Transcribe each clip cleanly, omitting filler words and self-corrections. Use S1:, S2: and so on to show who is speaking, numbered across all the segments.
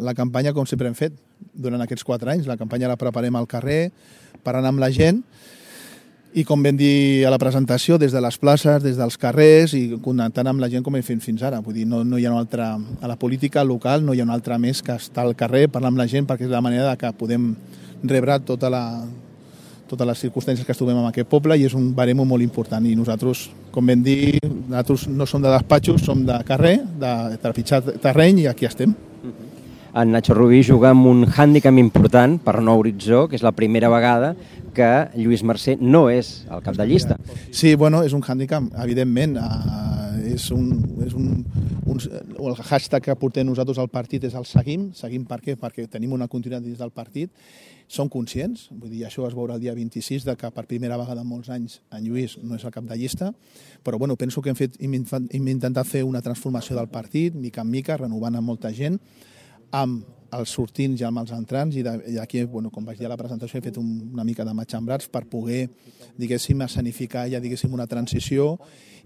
S1: la campanya com sempre hem fet durant aquests 4 anys. La campanya la preparem al carrer, parlant amb la gent, i com vam dir a la presentació, des de les places, des dels carrers i connectant amb la gent com hem fet fins ara. Vull dir, no hi ha una altra... A la política local no hi ha una altra més que estar al carrer, parlar amb la gent, perquè és la manera que podem rebre totes les circumstàncies que estuvem en aquest poble, i és un baremo molt important. I nosaltres, com vam dir, nosaltres no som de despatxos, som de carrer, de trepitjar terreny, i aquí estem.
S2: En Nacho Rubí juga amb un hàndicap important per Nou Horitzó, que és la primera vegada que Lluís Mercè no és el cap de llista.
S1: Sí, bueno, és un hàndicap, evidentment. El hashtag que portem nosaltres al partit és el seguim. Seguim per què? Perquè tenim una continuïtat dins del partit. Som conscients, vull dir, això es veurà el dia 26, de que per primera vegada en molts anys en Lluís no és el cap de llista, però bueno, penso que hem intentat fer una transformació del partit, mica en mica, renovant amb molta gent, amb els sortints i amb els entrants, i aquí, bueno, com vaig dir a la presentació, he fet una mica de matxembrats per poder, diguéssim, escenificar ja, diguéssim, una transició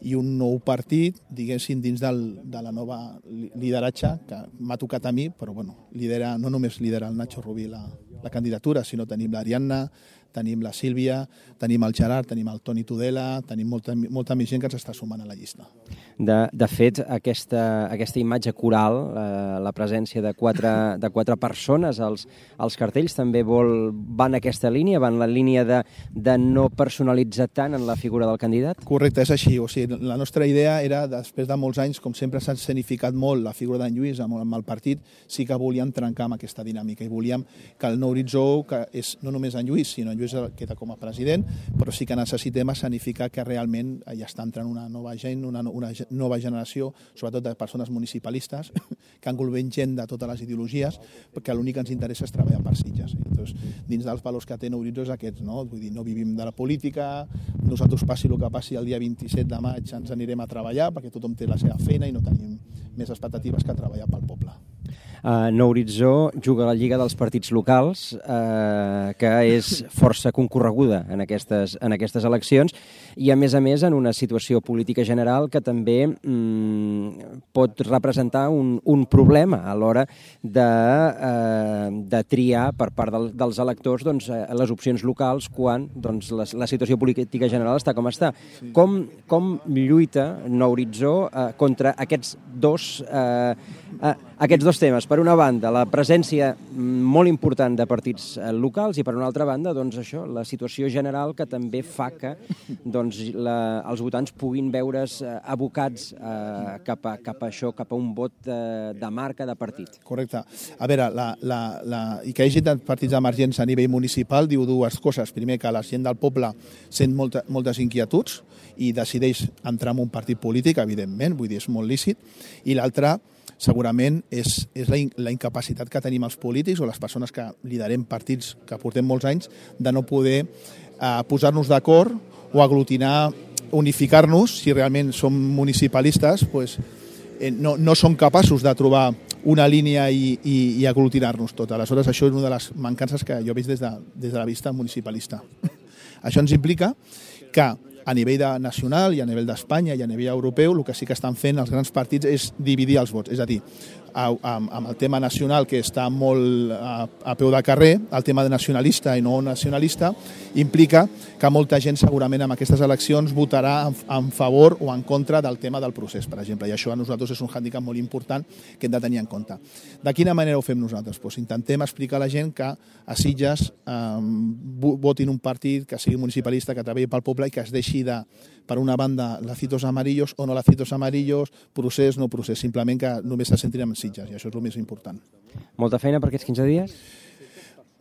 S1: i un nou partit, diguéssim, dins de la nova lideratge que m'ha tocat a mi, però bueno, no només lidera el Nacho Rubí la candidatura, sinó tenim l'Ariadna, tenim la Sílvia, tenim el Gerard, tenim el Toni Tudela, tenim molta més gent que ens està sumant a la llista.
S2: De fet, aquesta imatge coral, la presència de quatre persones als cartells, també va en aquesta línia, va en la línia de no personalitzar tant en la figura del candidat?
S1: Correcte, és així. O sigui, la nostra idea era, després de molts anys, com sempre s'ha escenificat molt la figura d'en Lluís amb el partit, sí que volíem trencar amb aquesta dinàmica i volíem que el Nou Horitzó, que és no només en Lluís, sinó en Lluís queda com a president, però sí que necessitem escenificar que realment ja està entrant una nova gent, una nova generació, sobretot de persones municipalistes, que engloben gent de totes les ideologies, perquè l'únic que ens interessa és treballar per Sitges. Llavors, dins dels valors que té Nou Horitzó és aquests, no? Vull dir, no vivim de la política, nosaltres passi el que passi el dia 27 de maig ens anirem a treballar, perquè tothom té la seva feina i no tenim més expectatives que treballar pel poble.
S2: Nou Horitzó juga a la Lliga dels Partits Locals, que és força concorreguda en aquestes eleccions, i a més en una situació política general que també pot representar un problema a l'hora de triar per part dels electors les opcions locals quan la situació política general està com està. Com lluita Nou Horitzó contra aquests dos temes? Per una banda, la presència molt important de partits locals, i per una altra banda, la situació general que també fa que els votants puguin veure's abocats cap a un vot de marca de partit.
S1: Correcte. A veure, i que hi hagi partits emergents a nivell municipal diu dues coses. Primer, que la gent del poble sent moltes inquietuds i decideix entrar en un partit polític, evidentment, vull dir, és molt lícit, i l'altra, segurament, és la incapacitat que tenim els polítics o les persones que liderem partits que portem molts anys de no poder posar-nos d'acord o aglutinar, unificar-nos. Si realment som municipalistes, no som capaços de trobar una línia i aglutinar-nos tot. Aleshores, això és una de les mancances que jo veig des de la vista municipalista. Això ens implica que a nivell nacional i a nivell d'Espanya i a nivell europeu, el que sí que estan fent els grans partits és dividir els vots. És a dir, amb el tema nacional, que està molt a peu de carrer, el tema de nacionalista i no nacionalista, implica que molta gent segurament en aquestes eleccions votarà en favor o en contra del tema del procés, per exemple. I això a nosaltres és un hàndicap molt important que hem de tenir en compte. De quina manera ho fem nosaltres? Intentem explicar a la gent que a Sitges votin un partit que sigui municipalista, que treballi pel poble i que es deixi de, per una banda, lacitos amarillos o no lacitos amarillos, procés, no procés, simplement que només se sentin en Sitges, i això és el més important.
S2: Molta feina per aquests 15 dies?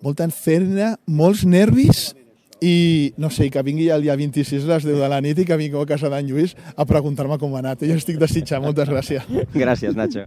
S1: Molta feina, molts nervis i, no sé, que vingui el dia 26 a les 10 de la nit i que vingui a casa d'en Lluís a preguntar-me com ha anat. Jo estic desitjant. Moltes gràcies.
S2: Gràcies, Nacho.